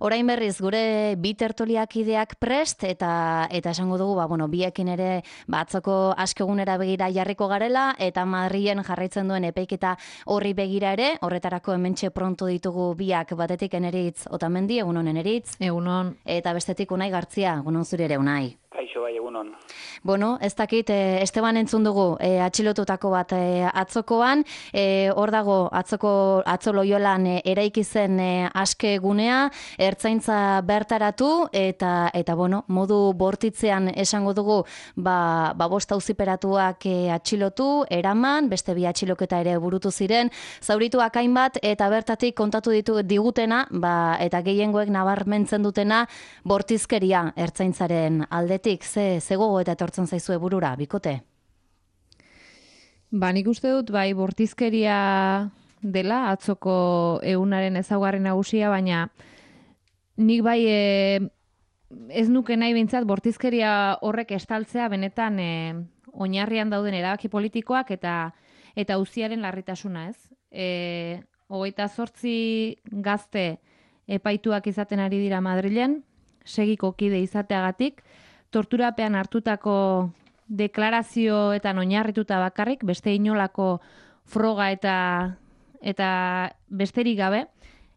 Orain berriz gure bi tertuliakideak prest eta esango dugu biekin ere atzoko askegunera begira jarriko garela eta Madrilen jarraitzen duen epaiketa horri begira ere, horretarako hementxe pronto ditugu biak, batetik Eneritz Otamendi, egunon Eneritz. Egunon. Eta bestetik Unai Gartzia, egunon zure ere Unai. Kaixo bai, egunon. Bueno, ez dakit, Esteban entzun dugu atxilotutako bat atzokoan, hor dago atzo Loiolan eraiki zen aske gunea, ertzaintza bertaratu eta modu bortitzean esango dugu bost auziperatuak atxilotu, eraman, beste bi atxiloketa ere burutu ziren, zaurituak hainbat eta bertatik kontatu digutena, eta gehiengoek nabarmentzen dutena bortizkeria ertzaintzaren aldetik, ze gogo eta etortzen zaizue burura, bikote? Nik uste dut, bortizkeria dela, atzoko egunaren ezaugarri nagusia, baina nik ez nuke nahi behintzat bortizkeria horrek estaltzea benetan oinarrian dauden erabaki politikoak eta auziaren larritasuna, ez? 28 gazte epaituak izaten ari dira Madrilen, segiko kide izateagatik, torturapean hartutako deklarazioetan oinarrituta bakarrik, beste inolako froga eta besterik gabe.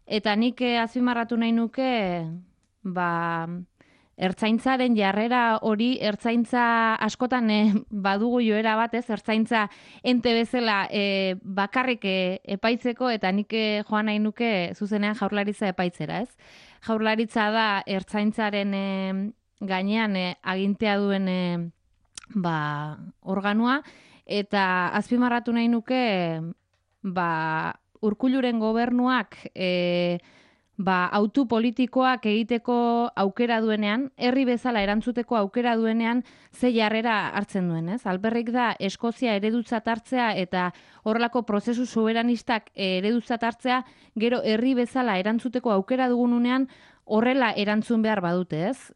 Eta nik azpimarratu nahi nuke, ertzaintzaren jarrera hori, ertzaintza askotan badugu joera batez, ertzaintza ente bezala bakarrik epaitzeko, eta nik joan nahi nuke zuzenean Jaurlaritza epaitzera, ez? Jaurlaritza da ertzaintzaren gainean agintea duen organoa, eta azpimarratu nahi nuke Urkulluren gobernuak autu politikoak egiteko aukera duenean, herri bezala erantzuteko aukera duenean, ze jarrera hartzen duen, ez? Alperrik da Eskozia eredutzat hartzea eta horrelako prozesu soberanistak eredutzat hartzea, gero herri bezala erantzuteko aukera dugununean horrela erantzun behar badute, ez?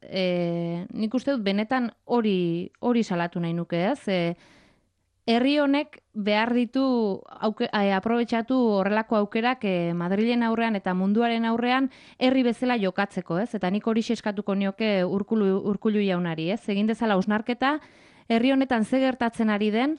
Nik uste dut benetan hori salatu nahi nuke, ez? Herri honek behar ditu aprobetxatu horrelako aukerak Madrilen aurrean eta munduaren aurrean herri bezala jokatzeko, ez? Eta nik hori eskatuko nioke Urkullu jaunari, ez? Egin dezala hausnarketa, herri honetan ze gertatzen ari den,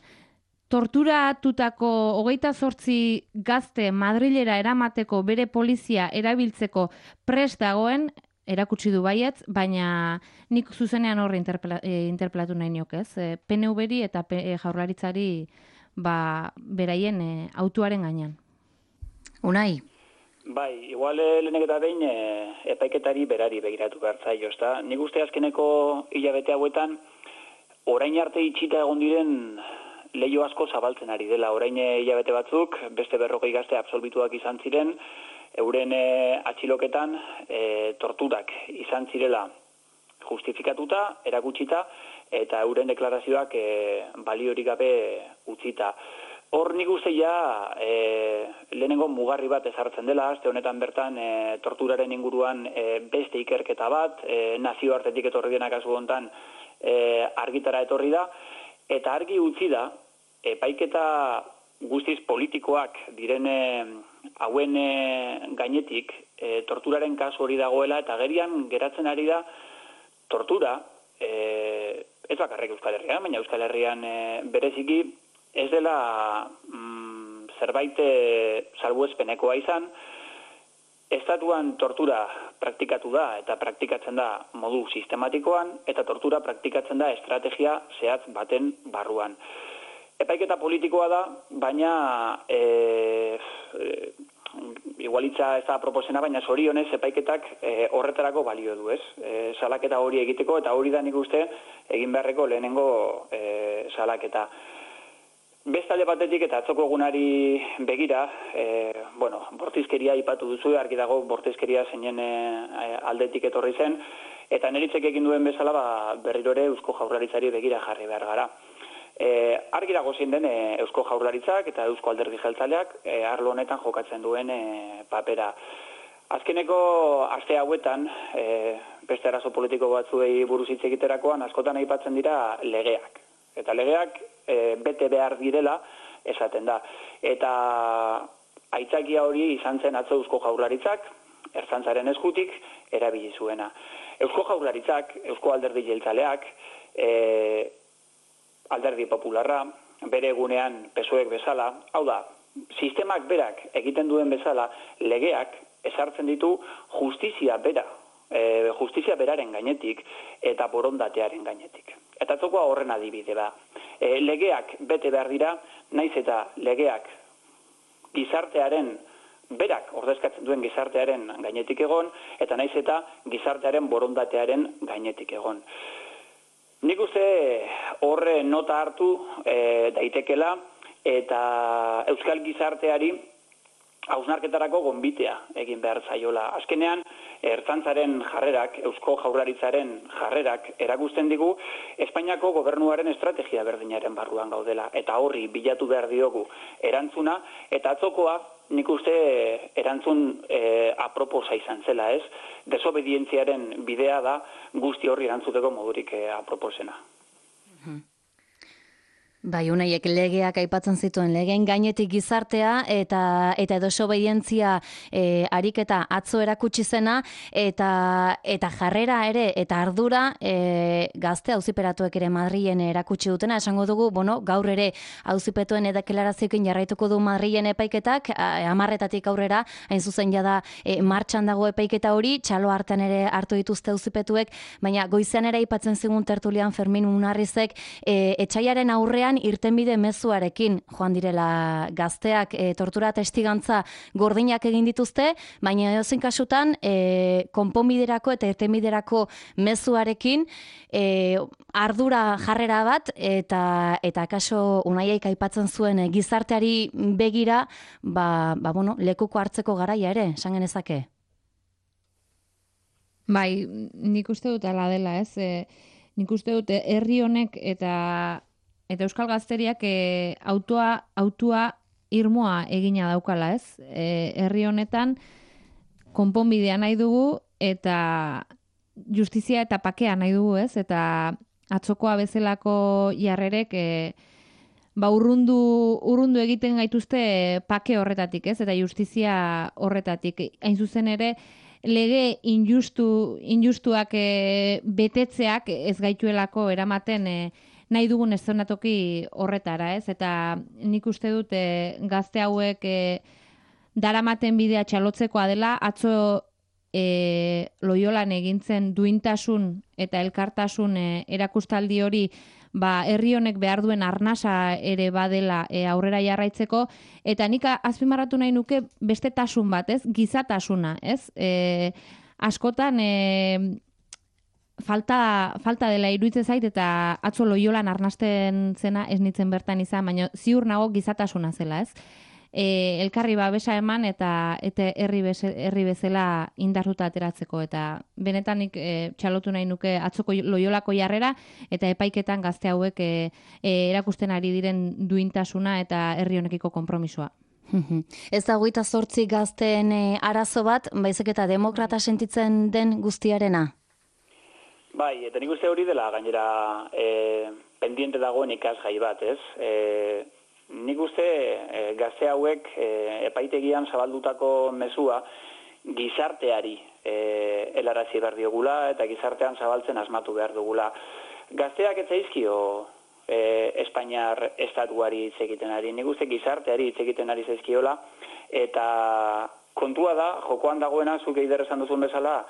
torturatutako 28 gazte Madrilera eramateko bere polizia erabiltzeko prest dagoen, erakutsi du baietz, baina nik zuzenean horre interpelatu nahi niok, ez? PNV-ri eta Jaurlaritzari beraien autuaren gainean. Unai? Bai, igual lehenek eta behin epaiketari berari begiratu behar zaio, ezta? Nik uste azkeneko hilabete hauetan, orain arte itxita egon diren leio asko zabaltzen ari dela. Orain hilabete batzuk, beste 40 gazte absolbituak izan ziren, euren atxiloketan torturak izan zirela justifikatuta, erakutsita, eta euren deklarazioak baliorik gabe utzita. Hor nik uste lehenengo mugarri bat ezartzen dela, aste honetan bertan torturaren inguruan beste ikerketa bat, nazioartetik etorri dena kasu honetan argitara etorri da, eta argi utzi da, epaiketa guztiz politikoak diren hauen gainetik torturaren kasu hori dagoela, eta gerian geratzen ari da tortura, ez bakarrik Euskal Herrian, baina Euskal Herrian bereziki ez dela zerbait salbuespenekoa izan, estatuan tortura praktikatu da eta praktikatzen da modu sistematikoan, eta tortura praktikatzen da estrategia zehatz baten barruan. Epaiketa politikoa da, baina igualitza ez da proposena, baina zorionez epaiketak horretarako balio du, ez? Salaketa hori egiteko, eta hori da nik uste egin beharreko lehenengo salaketa. Bestalde batetik eta atzoko egunari begira, bortizkeria aipatu duzu, argi dago bortizkeria zeinen aldetik etorri zen, eta Neritzek egin duen bezala berriro ere Eusko Jaurlaritzari begira jarri behar gara. Argi dago zein den Eusko Jaurlaritzak eta Eusko Alderdi Jeltzaleak arlo honetan jokatzen duen papera. Azkeneko aste hauetan, beste arazo politiko batzuei buruz hitz egiterakoan, askotan aipatzen dira legeak. Eta legeak bete behar direla esaten da. Eta aitzakia hori izan zen atzo Eusko Jaurlaritzak, Ertzaintzaren eskutik, erabili zuena. Eusko Jaurlaritzak, Eusko Alderdi Jeltzaleak, Alderdi Popularra, bere egunean PSOEk bezala, hau da, sistemak berak egiten duen bezala, legeak ezartzen ditu justizia beraren gainetik eta borondatearen gainetik. Eta atzokoa horren adibide da. Legeak bete behar dira, naiz eta legeak gizartearen, berak ordezkatzen duen gizartearen gainetik egon, eta naiz eta gizartearen borondatearen gainetik egon. Nik uste horre nota hartu daitekela, eta euskal gizarteari hausnarketarako gonbitea egin behar zaiola. Azkenean, Ertzaintzaren jarrerak, Eusko Jaurlaritzaren jarrerak erakusten digu Espainiako gobernuaren estrategia berdinaren barruan gaudela. Eta horri bilatu behar diogu erantzuna, eta atzokoa nik uste erantzun aproposa izan zela, ez? Desobedientziaren bidea da guzti horri erantzuteko modurik aproposena. Bai, unaiek legeak aipatzen zituen legeen gainetik gizartea eta desobedientzia ariketa atzo erakutsi zena eta jarrera ere eta ardura gazte auziperatuek ere Madrilen erakutsi dutena. Esango dugu, gaur ere auzipetuen deklarazioekin jarraituko du Madrilen epaiketak, 10:00 aurrera, hain zuzen jada martxan dago epaiketa hori, txalo hartan ere hartu dituzte auzipetuek, baina goizean ere aipatzen zigun tertulian Fermin Munarrizek etsaiaren aurrean irtenbide mezuarekin joan direla gazteak, tortura testigantza gordinak egin dituzte, baina edozein kasutan konponbiderako eta irtenbiderako mezuarekin ardura jarrera bat eta kaso unaiek aipatzen zuen gizarteari begira lekuko hartzeko garaia ere, esan genezake. Bai, nik uste dut ala dela, ez? Nik uste dut herri honek eta euskal gazteriak autua irmoa egina daukala, ez? Herri honetan konponbidea nahi dugu eta justizia eta pakea nahi dugu, ez? Eta atzokoa bezalako jarrerek urrundu egiten gaituzte pake horretatik, ez? Eta justizia horretatik. Hain zuzen ere, lege injustuak betetzeak ez gaituelako eramaten nahi dugun eszenatoki horretara, ez? Eta nik uste dut gazte hauek daramaten bidea txalotzekoa dela, atzo Loiolan egintzen duintasun eta elkartasun erakustaldi hori herri honek behar duen arnasa ere badela aurrera jarraitzeko, eta nik azpimarratu nahi nuke beste tasun bat, ez? Gizatasuna, ez? Askotan falta dela iruditzen zait, eta atzo Loiolan arnasten zena ez nintzen bertan izan, baina ziur nago gizatasuna zela, ez? Elkarri babesa eman eta herri bezala indartuta ateratzeko, eta benetanik txalotu nahi nuke atzoko Loiolako jarrera eta epaiketan gazte hauek erakusten ari diren duintasuna eta herri honekiko konpromisoa. Ez da 28 gazteen arazo bat, baizik eta demokrata sentitzen den guztiarena? Bai, eta nik uste hori dela gainera pendiente dagoen ikasgai bat, ez? Nik uste gazte hauek epaitegian zabaldutako mezua gizarteari helarazi behar diogula eta gizartean zabaltzen asmatu behar dugula. Gazteak ez zaizkio Espainiar estatuari hitz egiten ari. Nik uste gizarteari hitz egiten ari zaizkiola, eta kontua da, jokoan dagoena, zuk eider esan duzun bezala,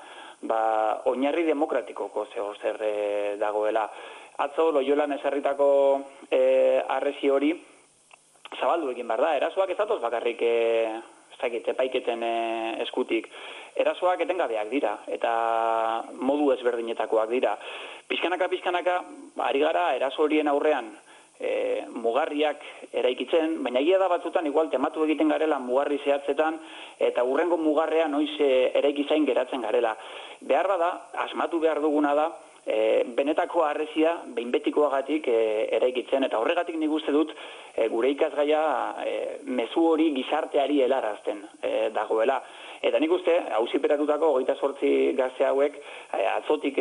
oinarri demokratikoko zer dagoela. Atzo Loiolan ezarritako harresi hori zabaldu egin behar da. Erasoak ez datoz bakarrik epaiketen eskutik. Erasoak etengabeak dira, eta modu ezberdinetakoak dira. Pixkanaka, ari gara eraso horien aurrean mugarriak eraikitzen, baina egia da batzutan igual tematu egiten garela mugarri zehatzetan, eta hurrengo mugarrea noiz eraikizain geratzen garela. Behar bada, asmatu behar duguna da, benetako harresia behinbetikoagatik eraikitzen, eta horregatik nik uste dut gure ikasgaia mezu hori gizarteari helarazten dagoela. Eta nik uste, auziperatutako 28 gazte hauek atzotik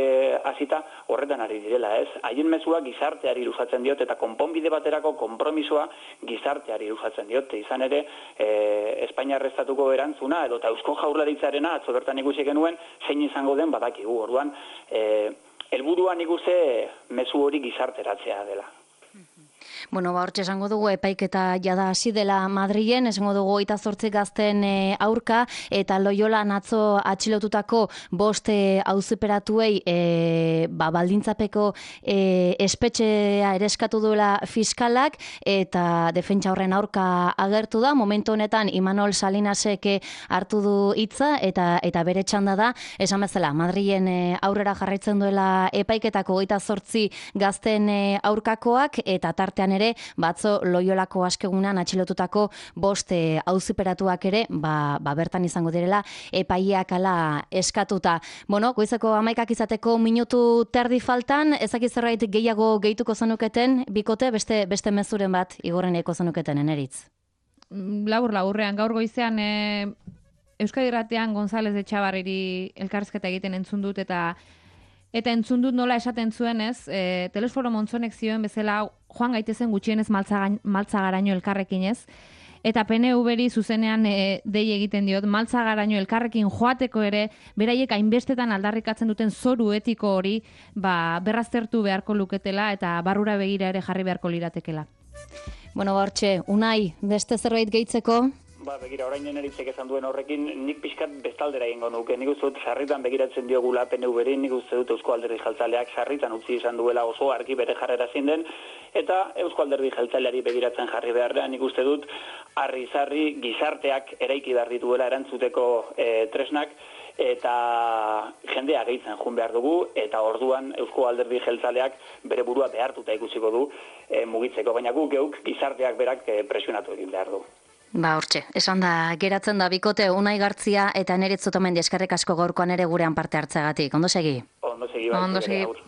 hasita horretan ari direla, ez? Haien mezua gizarteari luzatzen diot eta konponbide baterako konpromisoa gizarteari luzatzen diot. Izan ere, Espainiar estatuko erantzuna edo eta Eusko Jaurlaritzarena atzo bertan ikusi genuen zein izango den badakigu. Orduan, helburua nik uste mezu hori gizarteratzea dela. Bueno, hortxe esango dugu epaiketa jada hasi dela Madrilen, esango dugu 28 gazten aurka eta Loiolan atzo atxilotutako 5 auziperatuei baldintzapeko espetxea ereskatu duela fiskalak eta defentsa horren aurka agertu da. Momentu honetan Imanol Salinasek hartu du hitza eta bere txanda da, esan bezala Madrilen aurrera jarraitzen duela epaiketako 28 gazten aurkakoak eta tartean ere, batzo Loiolako askegunean atxilotutako 5 auziperatuak ere, bertan izango direla, epaileak ala eskatuta. Bueno, goizeko 11 izateko minutu terdi faltan, ezaki zerbait gehiago gehituko zenuketen, bikote, beste mezuren bat igorreneko zenuketen, Eneritz? Laburrean, gaur goizean Euskadi Irratian González de Etxabarriri elkarrizketa egiten entzun dut eta entzun dut nola esaten zuen ez, Telesforo Montzonek zioen bezala joan gaitezen gutxienez maltzagaraino elkarrekin ez, eta PNV-ri zuzenean dei egiten diot, maltzagaraino elkarrekin joateko ere, beraiek hainbestetan aldarrikatzen duten zoru etiko hori berraztertu beharko luketela eta barrura begira ere jarri beharko liratekela. Bueno, hortxe, Unai, beste zerbait gehitzeko? Begira, orain Eneritzek esan duen horrekin, nik pixkat bestaldera egingo nuke. Nik uste dut sarritan begiratzen diogula PNV-ri, nik uste dut Eusko Alderdi Jeltzaleak sarritan utzi izan duela oso argi bere jarrera zein den, eta Eusko Alderdi Jeltzaleari begiratzen jarri beharrean, nik uste dut harri-zarri gizarteak eraiki behar dituela erantzuteko tresnak, eta jendea gehitzen joan behar dugu, eta orduan Eusko Alderdi Jeltzaleak bere burua behartuta ikusiko du mugitzeko, baina geuk gizarteak berak presionatu egin behar du. Hortxe, esan da, geratzen da bikote Unai Gartzia eta Eneritz Otamendi eskerrik asko gaurkoan ere gurean parte hartzeagatik. Ondo segi? Ondo segi.